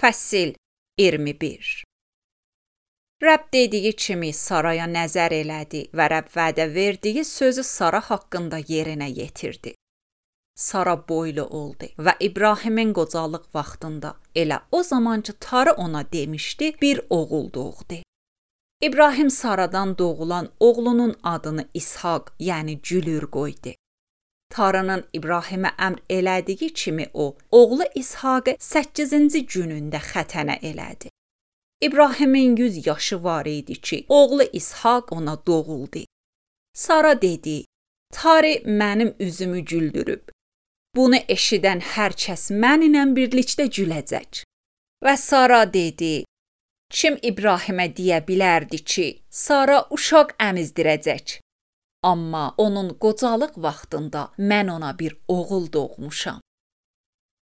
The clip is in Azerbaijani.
Fəsil 21. Rəbb dediyi kimi Saraya nəzər elədi və Rəbb vədə verdiyi sözü Sara haqqında yerinə yetirdi. Sara boylu oldu və İbrahimin qocalıq vaxtında elə o zamancı Tarı ona demişdi, bir oğul doğdu. İbrahim Saradan doğulan oğlunun adını İshaq, yəni Cülür qoydu. Tarının İbrahimə əmr elədiyi kimi o, oğlu İshaqı 8-ci günündə xətənə elədi. İbrahimin 100 yaşı var idi ki, oğlu İshaq ona doğuldu. Sara dedi, Tarı mənim üzümü güldürüb. Bunu eşidən hər kəs mənimlə birlikdə güləcək. Və Sara dedi, kim İbrahimə deyə bilərdi ki, Sara uşaq əmizdirəcək. Amma onun qocalıq vaxtında mən ona bir oğul doğmuşam.